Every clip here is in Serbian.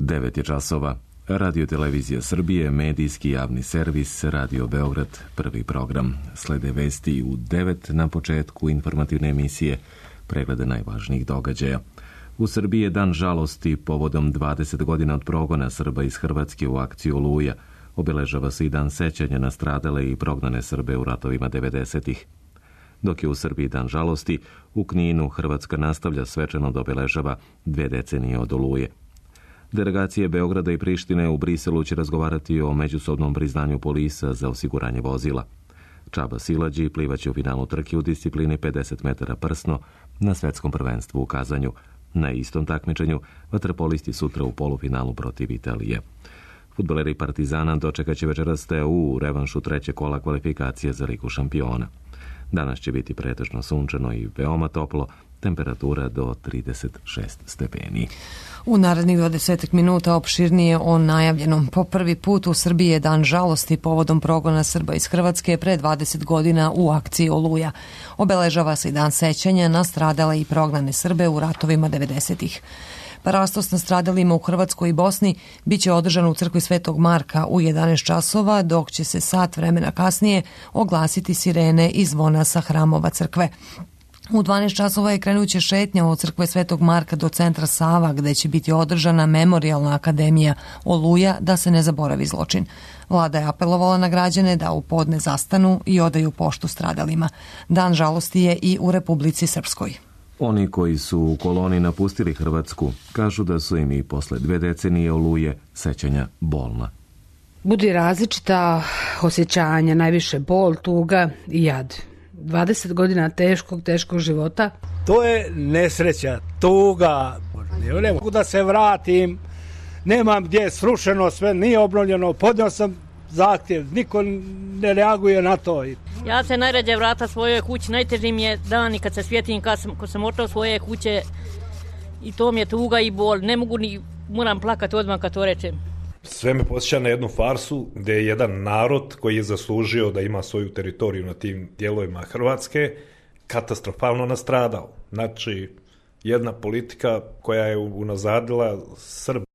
9 je časova. Radio Televizija Srbije, medijski javni servis, Radio Beograd, prvi program. Slede vesti u 9 na početku informativne emisije, preglede najvažnijih događaja. U Srbiji je dan žalosti povodom 20 godina od progona Srba iz Hrvatske u akciji Oluja. Obeležava se i dan sećanja na stradale i prognane Srbe u ratovima 90-ih. Dok je u Srbiji dan žalosti, u Kninu Hrvatska nastavlja svečano da obeležava 2 decenije od Oluje. Delegacije Beograda i Prištine u Briselu će razgovarati o međusobnom priznanju polisa za osiguranje vozila. Čaba Silađi plivaće u finalu trke u disciplini 50 metara prsno na svetskom prvenstvu u Kazanju. Na istom takmičenju vaterpolisti sutra u polufinalu protiv Italije. Fudbaleri Partizana dočekat će večeras TU u revanšu 3. kola kvalifikacije za Ligu šampiona. Danas će biti pretežno sunčano i veoma toplo, temperatura do 36 stepeni. U narednih 20 minuta opširnije o najavljenom. Po prvi put u Srbiji je dan žalosti povodom progona Srba iz Hrvatske pre 20 godina u akciji Oluja. Obeležava se i dan sećanja na stradale i prognane Srbe u ratovima 90-ih. Parastos na stradalima u Hrvatskoj i Bosni biće održan u crkvi Svetog Marka u 11 časova, dok će se sat vremena kasnije oglasiti sirene i zvona sa hramova crkve. U 12 časova je krenuće šetnja od crkve Svetog Marka do centra Sava, gde će biti održana memorijalna akademija Oluja da se ne zaboravi zločin. Vlada je apelovala na građane da u podne zastanu i odaju poštu stradalima. Dan žalosti je i u Republici Srpskoj. Oni koji su u koloni napustili Hrvatsku kažu da su im i posle 2 decenije Oluje sećanja bolna. Budi različita osjećanja, najviše bol, tuga i jad. 20 godina teškog života. To je nesreća, tuga. Ne mogu da se vratim, nemam gdje je srušeno, sve nije obnovljeno, podnio sam zahtjev, niko ne reaguje na to. Ja se najrađe vrata svojoj kući, najteži mi je dan i kad se sjetim kad sam otišao svoje kuće i to mi je tuga i bol. Ne mogu ni, moram plakati odmah kad to rečem. Sve me posjeća na jednu farsu gdje je jedan narod koji je zaslužio da ima svoju teritoriju na tim dijelovima Hrvatske katastrofalno nastradao. Znači, jedna politika koja je unazadila Srbiju.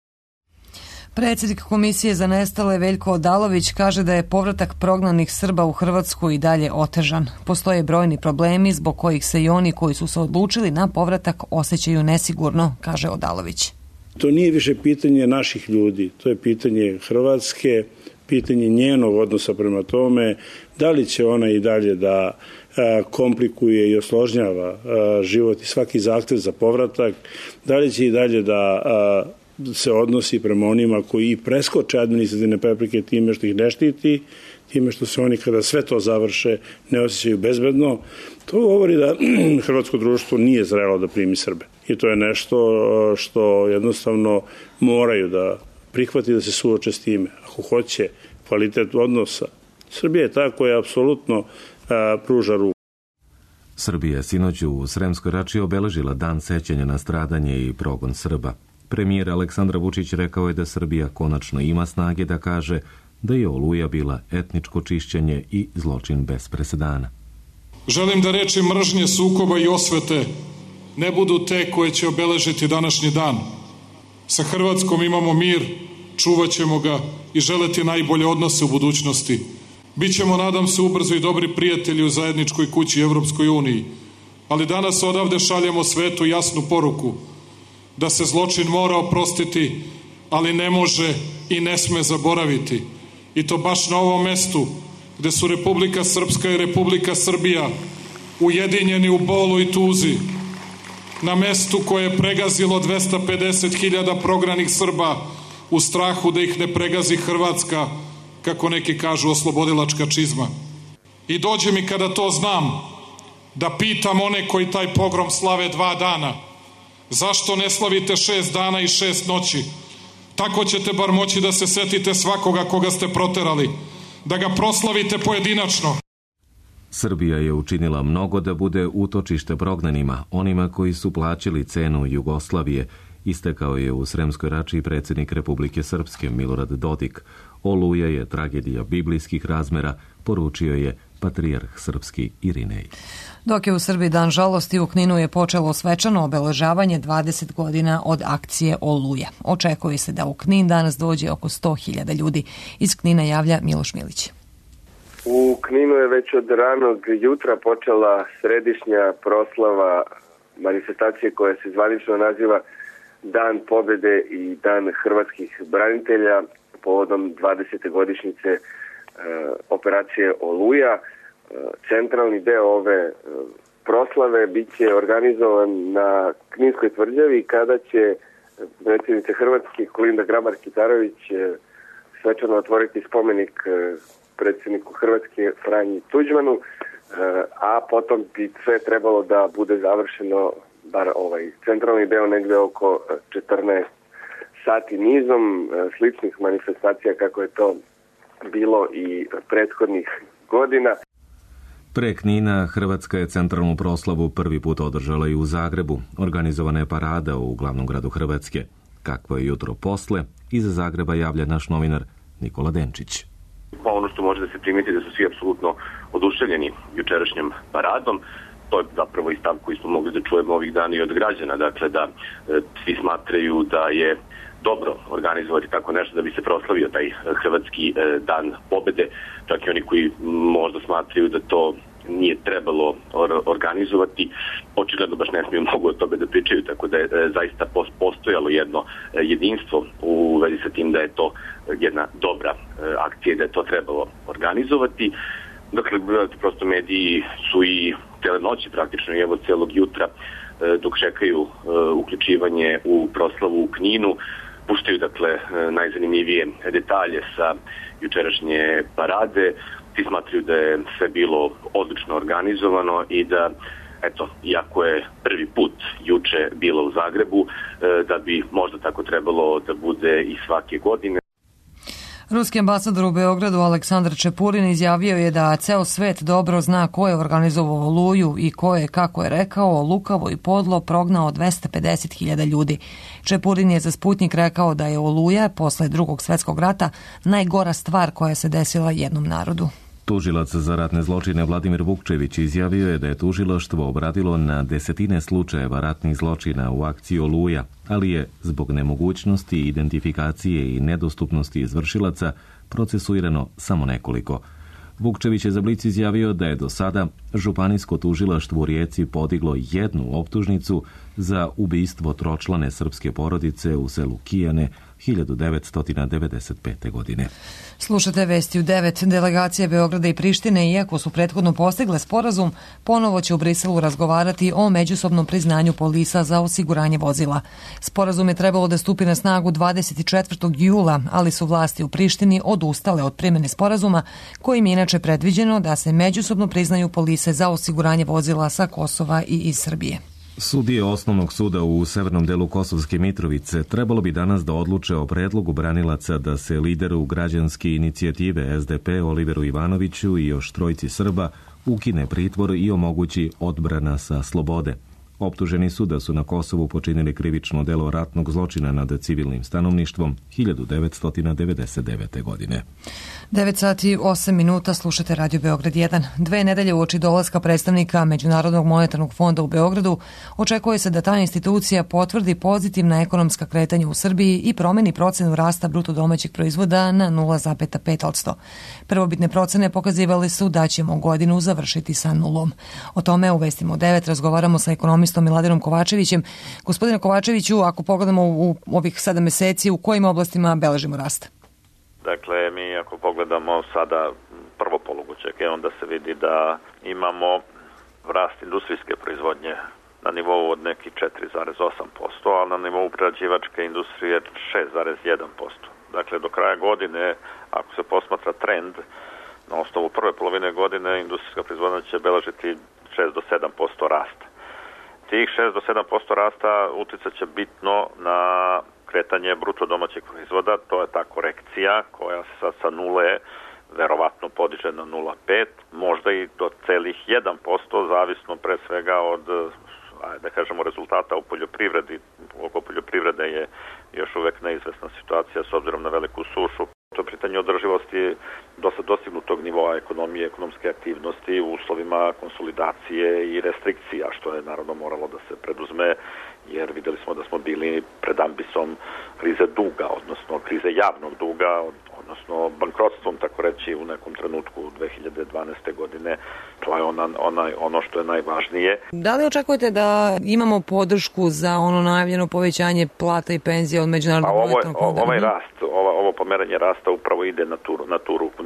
Predsjednik Komisije za nestale Veljko Odalović kaže da je povratak prognanih Srba u Hrvatsku i dalje otežan. Postoje brojni problemi zbog kojih se i oni koji su se odlučili na povratak osjećaju nesigurno, kaže Odalović. To nije više pitanje naših ljudi, to je pitanje Hrvatske, pitanje njenog odnosa prema tome, da li će ona i dalje da komplikuje i osložnjava život i svaki zahtev za povratak, da li će i dalje da se odnosi prema onima koji preskoče administrativne prepreke time što ih ne štiti, time što se oni kada sve to završe ne osjećaju bezbedno. To govori da hrvatsko društvo nije zrelo da primi Srbe. I to je nešto što jednostavno moraju da prihvati da se suoče s time. Ako hoće kvalitet odnosa, Srbija je ta koja apsolutno pruža ruku. Srbija sinoć u Sremskoj Rači obeležila dan sećanja na stradanje i progon Srba. Premijer Aleksandar Vučić rekao je da Srbija konačno ima snage da kaže da je Oluja bila etničko čišćenje i zločin bez presedana. Želim da reči mržnje, sukoba i osvete ne budu te koje će obeležiti današnji dan. Sa Hrvatskom imamo mir, čuvat ćemo ga i želeti najbolje odnose u budućnosti. Bićemo, nadam se, ubrzo i dobri prijatelji u zajedničkoj kući Evropskoj uniji. Ali danas odavde šaljemo svetu jasnu poruku da se zločin mora oprostiti, ali ne može i ne sme zaboraviti. I to baš na ovom mestu gde su Republika Srpska i Republika Srbija ujedinjeni u bolu i tuzi. Na mestu koje je pregazilo 250.000 prognanih Srba u strahu da ih ne pregazi Hrvatska, kako neki kažu, oslobodilačka čizma. I dođe mi kada to znam da pitam one koji taj pogrom slave 2 dana, zašto ne slavite 6 dana i 6 noći? Tako ćete bar moći da se setite svakoga koga ste proterali, da ga proslavite pojedinačno. Srbija je učinila mnogo da bude utočište prognanima, onima koji su plaćali cenu Jugoslavije, istakao je u Sremskoj Rači predsjednik Republike Srpske Milorad Dodik. Oluja je tragedija biblijskih razmera, poručio je patrijarh srpski Irinej. Dok je u Srbiji dan žalosti, u Kninu je počelo svečano obeležavanje 20 godina od akcije Oluja. Očekuje se da u Knin danas dođe oko 100.000 ljudi. Iz Knina javlja Miloš Milić. U Kninu je već od ranog jutra počela središnja proslava manifestacije koja se zvanično naziva Dan pobjede i Dan hrvatskih branitelja povodom 20. godišnjice operacije Oluja. Centralni deo ove proslave bit će organizovan na Kninskoj tvrđavi kada će predsjednica Hrvatske Kolinda Grabar-Kitarović svečano otvoriti spomenik predsjedniku Hrvatske Franji Tuđmanu, a potom bi sve trebalo da bude završeno, bar ovaj centralni deo, negde oko 14 sati nizom sličnih manifestacija kako je to bilo i prethodnih godina. Pre Knina, Hrvatska je centralnu proslavu prvi put održala i u Zagrebu. Organizovana je parada u glavnom gradu Hrvatske. Kakvo je jutro posle, iza Zagreba javlja naš novinar Nikola Denčić. Pa ono što može da se primeti da su svi apsolutno oduševljeni jučerašnjom paradom. To je zapravo i stav koji smo mogli da čujemo ovih dana i od građana. Dakle, da svi smatraju da je dobro organizovati tako nešto da bi se proslavio taj hrvatski dan pobede. Čak i oni koji možda smatraju da to nije trebalo organizovati, očigledno baš ne smiju mnogo od toga da pričaju, tako da je zaista postojalo jedno jedinstvo u vezi sa tim da je to jedna dobra akcija, da je to trebalo organizovati. Dakle, prosto mediji su i cele noći praktično i evo celog jutra dok čekaju uključivanje u proslavu u Kninu, puštaju dakle najzanimljivije detalje sa jučerašnje parade. Ti smatraju da je sve bilo odlično organizovano i da, eto, iako je prvi put juče bilo u Zagrebu, da bi možda tako trebalo da bude i svake godine. Ruski ambasador u Beogradu Aleksandar Čepurin izjavio je da ceo svet dobro zna ko je organizovao Oluju i ko je, kako je rekao, lukavo i podlo prognao 250.000 ljudi. Čepurin je za Sputnik rekao da je Oluja posle Drugog svjetskog rata najgora stvar koja se desila jednom narodu. Tužilac za ratne zločine Vladimir Vukčević izjavio je da je tužilaštvo obradilo na desetine slučajeva ratnih zločina u akciji Oluja, ali je zbog nemogućnosti identifikacije i nedostupnosti izvršilaca procesuirano samo nekoliko. Vukčević je za Blic izjavio da je do sada županijsko tužilaštvo u Rijeci podiglo jednu optužnicu za ubistvo tročlane srpske porodice u selu Kijane 1995. godine. Slušate vesti u 9. Delegacije Beograda i Prištine, iako su prethodno postigle sporazum, ponovo će u Briselu razgovarati o međusobnom priznanju polisa za osiguranje vozila. Sporazum je trebalo da stupi na snagu 24. jula, ali su vlasti u Prištini odustale od primjene sporazuma, kojim je inače predviđeno da se međusobno priznaju polise za osiguranje vozila sa Kosova i iz Srbije. Sudije Osnovnog suda u severnom delu Kosovske Mitrovice trebalo bi danas da odluče o predlogu branilaca da se lideru građanske inicijative SDP Oliveru Ivanoviću i još trojci Srba ukine pritvor i omogući odbrana sa slobode. Optuženi su da su na Kosovu počinili krivično delo ratnog zločina nad civilnim stanovništvom 1999. godine. 9 sati 8 minuta, slušate Radio Beograd 1. 2 nedelje uoči dolaska predstavnika Međunarodnog monetarnog fonda u Beogradu očekuje se da ta institucija potvrdi pozitivna ekonomska kretanja u Srbiji i promeni procenu rasta bruto domaćeg proizvoda na 0,5%. Prvobitne procene pokazivale su da ćemo godinu završiti sa nulom. O tome u vestima u 9 razgovaramo sa ekonomistom Miladinom Kovačevićem. Gospodine Kovačeviću, ako pogledamo u ovih 7 meseci, u kojim oblastima beležimo rast? Dakle, mi ako pogledamo sada prvo polugodište, onda se vidi da imamo rast industrijske proizvodnje na nivou od nekih 4,8%, a na nivou prerađivačke industrije 6,1%. Dakle, do kraja godine, ako se posmatra trend, na osnovu prve polovine godine industrijska proizvodnja će beležiti 6 do 7% rasta. Tih 6 do 7% rasta uticat će bitno na kretanje bruto domaćeg proizvoda, to je ta korekcija koja se sad sa nule verovatno podiže na 0,5, možda i do celih 1%, zavisno pre svega od, da kažemo, rezultata u poljoprivredi. Oko poljoprivrede je još uvek neizvesna situacija s obzirom na veliku sušu. To pitanje održivosti dosta dostignutog nivoa ekonomije, ekonomske aktivnosti u uslovima konsolidacije i restrikcija, što je naravno moralo da se preduzme, jer videli smo da smo bili pred ambisom krize duga, odnosno krize javnog duga, odnosno bankrotstvom, tako reći, u nekom trenutku 2012. godine. To je ono što je najvažnije. Da li očekujete da imamo podršku za ono najavljeno povećanje plata i penzija od Međunarodnog monetarnog fonda? Ovaj rast, ovo pomeranje rasta upravo ide na tu ruku.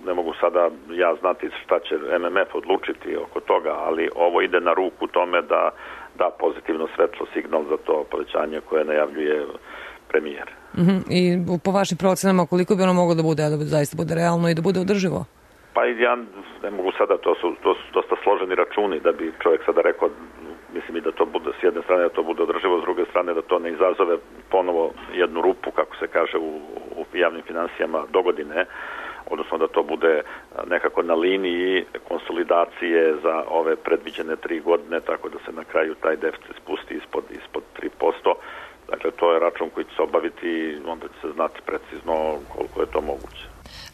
Ne mogu sada ja znati šta će MMF odlučiti oko toga, ali ovo ide na ruku tome da da pozitivno svetlo signal za to povećanje koje najavljuje premijer. I po vašim procenama koliko bi ono moglo da bude, da zaista bude realno i da bude održivo? Pa ja ne mogu sada, to su dosta složeni računi da bi čovjek sada rekao, mislim i da to bude s jedne strane da to bude održivo, s druge strane da to ne izazove ponovo jednu rupu, kako se kaže u javnim financijama dogodine, odnosno da to bude nekako na liniji konsolidacije za ove predviđene 3 godine, tako da se na kraju taj deficit spusti ispod 3%. Dakle, to je račun koji će se obaviti i onda će se znati precizno koliko je to moguće.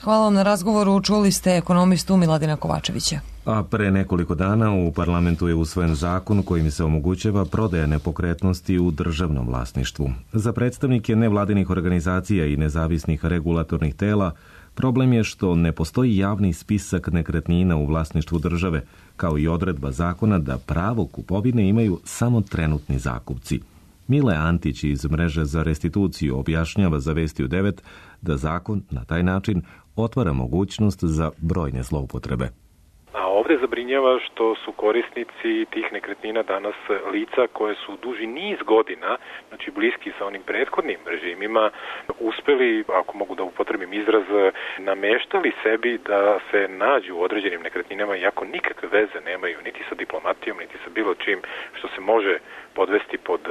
Hvala vam na razgovoru. Čuli ste ekonomistu Miladina Kovačevića. A pre nekoliko dana u parlamentu je usvojen zakon kojim se omogućava prodaja nepokretnosti u državnom vlasništvu. Za predstavnike nevladinih organizacija i nezavisnih regulatornih tela problem je što ne postoji javni spisak nekretnina u vlasništvu države, kao i odredba zakona da pravo kupovine imaju samo trenutni zakupci. Mile Antić iz Mreže za restituciju objašnjava za Vesti u 9 da zakon na taj način otvara mogućnost za brojne zloupotrebe. A ovdje zabrinjava što su korisnici tih nekretnina danas lica koje su duži niz godina, znači bliski sa onim prethodnim režimima, uspeli, ako mogu da upotrebim izraz, nameštali sebi da se nađu u određenim nekretninama, iako nikakve veze nemaju niti sa diplomatijom, niti sa bilo čim što se može podvesti pod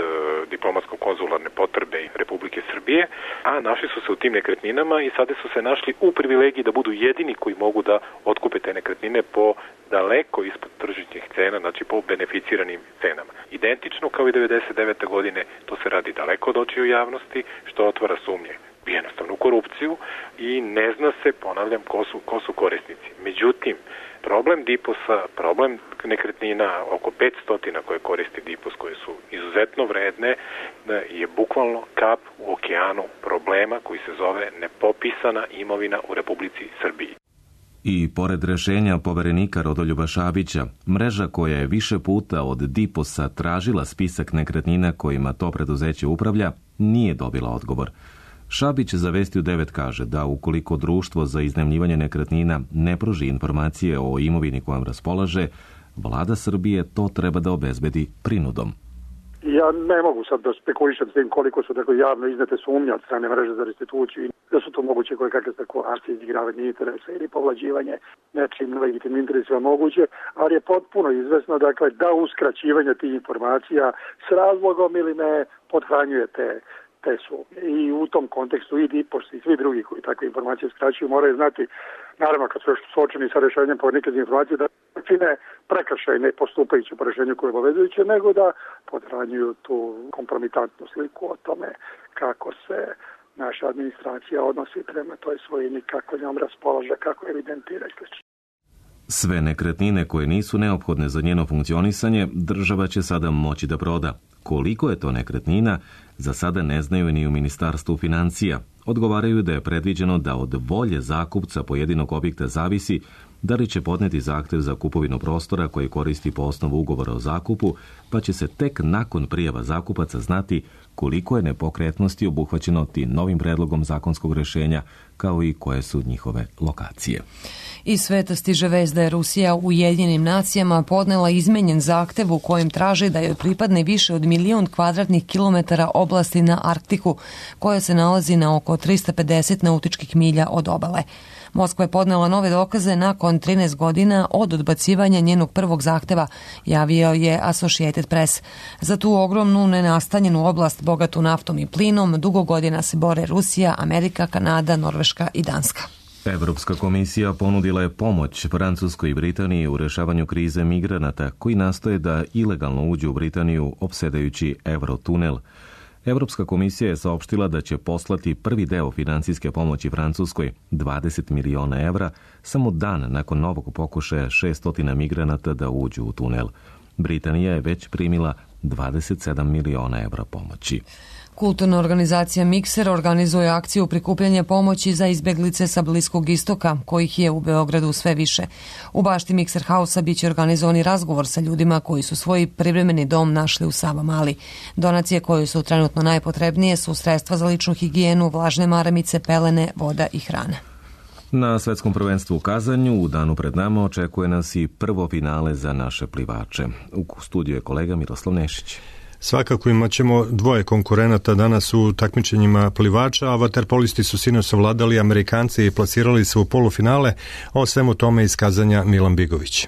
diplomatsko-konzularne potrebe Republike Srbije, a našli su se u tim nekretninama i sada su se našli u privilegiji da budu jedini koji mogu da otkupe te nekretnine po daleko ispod tržišnih cena, znači po beneficiranim cenama. Identično kao i 99. godine, to se radi daleko od očiju javnosti, što otvara sumnje jednostavno u korupciju i ne zna se, ponavljam, ko su korisnici. Međutim, problem DIPOS-a, problem nekretnina, oko 500 koje koristi DIPOS, koje su izuzetno vredne, je bukvalno kap u okeanu problema koji se zove nepopisana imovina u Republici Srbiji. I pored rešenja poverenika Rodoljuba Šabića, mreža koja je više puta od DIPOS-a tražila spisak nekretnina kojima to preduzeće upravlja, nije dobila odgovor. Šabić za Vesti u 9 kaže da ukoliko društvo za iznajmljivanje nekretnina ne pruži informacije o imovini kojom raspolaže, vlada Srbije to treba da obezbedi prinudom. Ja ne mogu sad da spekulišem s tim koliko su tako javno iznete sumnje od strane mreže za restituciju i da su to moguće koje kakve spekulacije, izigravanje interesa ili povlađivanje nečim legitimnim interesima moguće, ali je potpuno izvesno dakle, da uskraćivanje tih informacija s razlogom ili ne podhranjuje te sumnje. I u tom kontekstu i DIPOS i svi drugi koji takve informacije skraćuju moraju znati, naravno kad su još suočeni sa rešenjem poverenika za informacije, da čine prekršaj ne postupajući po rešenju koje je obavezujuće, nego da podhranjuju tu kompromitantnu sliku o tome kako se naša administracija odnosi prema toj svojini, kako njom raspolaže, kako evidentira i sl. Sve nekretnine koje nisu neophodne za njeno funkcionisanje, država će sada moći da proda. Koliko je to nekretnina, za sada ne znaju ni u Ministarstvu financija. Odgovaraju da je predviđeno da od volje zakupca pojedinog objekta zavisi da li će podneti zahtev za kupovinu prostora koji koristi po osnovu ugovora o zakupu, pa će se tek nakon prijava zakupaca znati koliko je nepokretnosti obuhvaćeno tim novim predlogom zakonskog rešenja, kao i koje su njihove lokacije. Iz sveta stiže vest da je Rusija u Ujedinjenim nacijama podnela izmenjen zahtev u kojem traži da joj pripadne više od 1.000.000 kvadratnih kilometara oblasti na Arktiku, koja se nalazi na oko 350 nautičkih milja od obale. Moskva je podnela nove dokaze nakon 13 godina od odbacivanja njenog prvog zahteva, javio je Associated Press. Za tu ogromnu nenastanjenu oblast bogatu naftom i plinom dugo godina se bore Rusija, Amerika, Kanada, Norveška i Danska. Evropska komisija ponudila je pomoć Francuskoj i Britaniji u rešavanju krize migranata koji nastoje da ilegalno uđu u Britaniju opsedajući Eurotunel. Europska komisija je saopštila da će poslati prvi deo financijske pomoći Francuskoj, 20 miliona evra, samo dan nakon novog pokušaja 600 migranata da uđu u tunel. Britanija je već primila 27 miliona evra pomoći. Kulturna organizacija Mikser organizuje akciju prikupljanja pomoći za izbeglice sa Bliskog istoka, kojih je u Beogradu sve više. U bašti Mikser Hausa biće organizovani razgovor sa ljudima koji su svoj privremeni dom našli u Savamali. Donacije koje su trenutno najpotrebnije su sredstva za ličnu higijenu, vlažne maramice, pelene, voda i hrana. Na svetskom prvenstvu u Kazanju u danu pred nama očekuje nas i prvo finale za naše plivače. U studiju je kolega Miroslav Nešić. Svakako imat ćemo dvoje konkurenata danas u takmičenjima plivača, a vaterpolisti su sinoć savladali Amerikanci i plasirali se u polufinale, o svemu tome iz Kazanja Milan Bigović.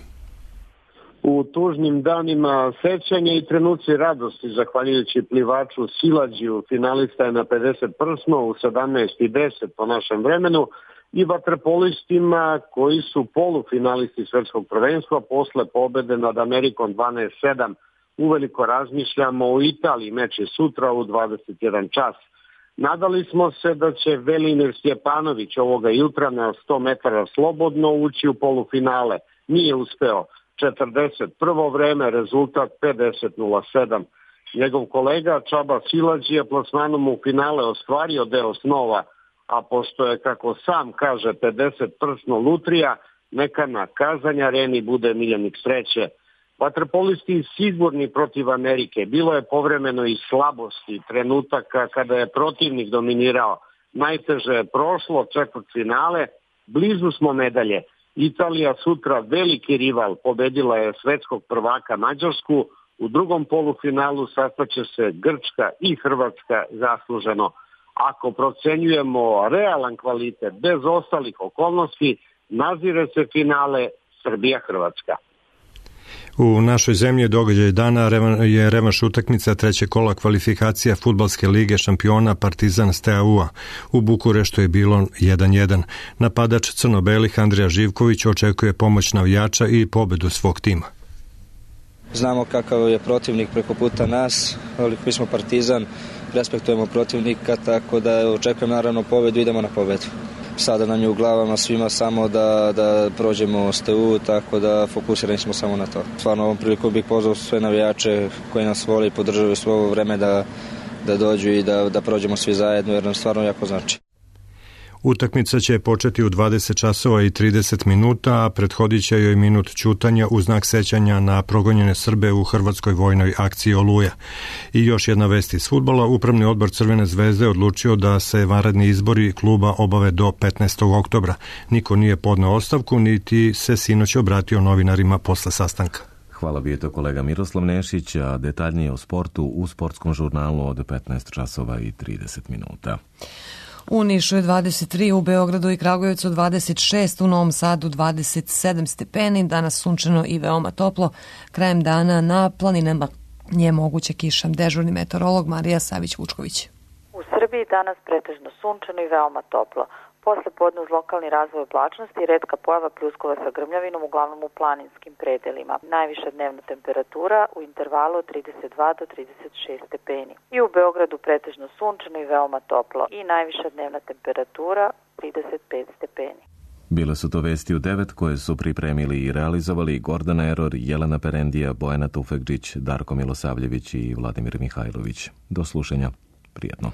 U tužnim danima sećanja i trenuci radosti, zahvaljujući plivaču Silađiju, finalista je na 50 prsno u 17:10 po našem vremenu, i vaterpolistima koji su polufinalisti svetskog prvenstva posle pobede nad Amerikom 12:7. Uveliko razmišljamo o Italiji, meč je sutra u 21 čas. Nadali smo se da će Velimir Stjepanović ovoga jutra na 100 metara slobodno ući u polufinale. Nije uspeo. 41. vreme, rezultat 50:07. Njegov kolega Čaba Silađija plasmanom u finale ostvario deo snova, a pošto je, kako sam kaže, 50 prsno lutrija, neka na Kazanj areni bude miljenik sreće. Vaterpolisti sigurni protiv Amerike. Bilo je povremeno i slabosti, trenutaka kada je protivnik dominirao. Najteže je prošlo, četvrtfinale, blizu smo medalje. Italija sutra veliki rival, pobedila je svetskog prvaka Mađarsku, u drugom polufinalu sastaće se Grčka i Hrvatska zasluženo. Ako procenjujemo realan kvalitet bez ostalih okolnosti, nazire se finale Srbija-Hrvatska. U našoj zemlji događaj dana je revanš utakmica trećeg kola kvalifikacija Fudbalske lige šampiona Partizan Steaua. U Bukureštu je bilo 1:1. Napadač crno-belih Andrija Živković očekuje pomoć navijača i pobedu svog tima. Znamo kakav je protivnik preko puta nas, ali mi smo Partizan, respektujemo protivnika, tako da očekujem naravno pobedu, idemo na pobedu. Sada nam je u glavama svima samo da prođemo STU, tako da fokusirani smo samo na to. Stvarno ovom priliku bih pozvao sve navijače koji nas vole i podržavaju svo ovo vreme da dođu i da prođemo svi zajedno, jer nam stvarno jako znači. Utakmica će početi u 20 časova i 30 minuta, a prethodit će joj minut ćutanja u znak sećanja na progonjene Srbe u hrvatskoj vojnoj akciji Oluja. I još jedna vest iz fudbala, Upravni odbor Crvene zvezde odlučio da se vanredni izbori kluba obave do 15. oktobra. Niko nije podneo ostavku, niti se sinoć obratio novinarima posle sastanka. Hvala, bio je to kolega Miroslav Nešić, a detaljnije o sportu u sportskom žurnalu od 15 časova i 30 minuta. U Nišu je 23, u Beogradu i Kragujevcu 26, u Novom Sadu 27 stepeni, danas sunčano i veoma toplo. Krajem dana na planinama je moguća kiša. Dežurni meteorolog Marija Savić-Vučković. U Srbiji danas pretežno sunčano i veoma toplo. Posle podne uz lokalni razvoj oblačnosti i retka pojava pljuskova sa grmljavinom, uglavnom u planinskim predelima. Najviša dnevna temperatura u intervalu od 32 do 36 stepeni. I u Beogradu pretežno sunčano i veoma toplo. I najviša dnevna temperatura 35 stepeni. Bile su to vesti u 9 koje su pripremili i realizovali Gordana Eror, Jelena Perendija, Bojana Tufekđić, Darko Milosavljević i Vladimir Mihajlović. Do slušanja. Prijetno.